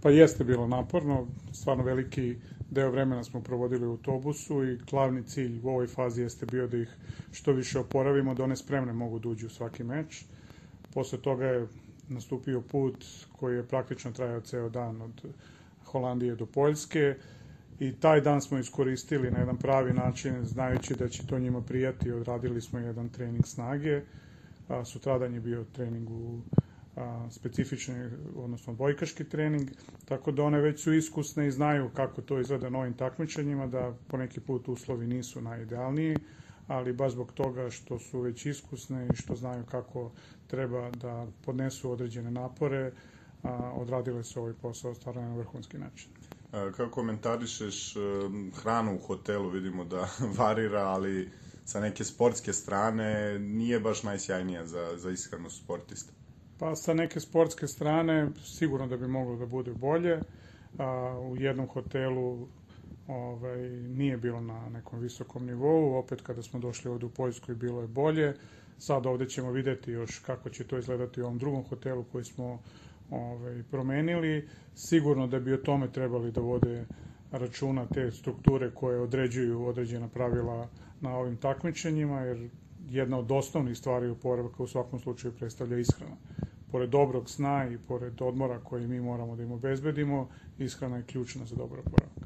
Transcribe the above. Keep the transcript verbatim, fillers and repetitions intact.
Pa jeste bilo naporno, stvarno veliki deo vremena smo provodili u autobusu i glavni cilj u ovoj fazi jeste bio da ih što više oporavimo, da one spremne mogu da uđu u svaki meč. Posle toga je nastupio put koji je praktično trajao ceo dan od Holandije do Poljske i taj dan smo iskoristili na jedan pravi način, znajući da će to njima prijati. Odradili smo jedan trening snage, a, sutradan je bio trening u a, specifični, odnosno bojkaški trening, tako da one već su iskusne i znaju kako to izgleda na ovim takmičenjima, da poneki put uslovi nisu najidealniji, ali baš zbog toga što su već iskusne i što znaju kako treba da podnesu određene napore, a, odradile su ovaj posao stvarno na vrhunski način. Kako komentarišeš hranu u hotelu? Vidimo da varira, ali sa neke sportske strane nije baš najsjajnija za, za ishranu sportista. Pa sa neke sportske strane sigurno da bi moglo da bude bolje. A, u jednom hotelu ovaj, nije bilo na nekom visokom nivou, opet kada smo došli ovde u Poljsku bilo je bolje. Sad ovde ćemo videti još kako će to izgledati u ovom drugom hotelu koji smo ovaj, promenili. Sigurno da bi o tome trebali da vode računa te strukture koje određuju određena pravila na ovim takmičenjima, jer jedna od osnovnih stvari oporavka u svakom slučaju predstavlja ishrana. Pored dobrog sna i pored odmora koji mi moramo da im obezbedimo, ishrana je ključna za dobar oporavak.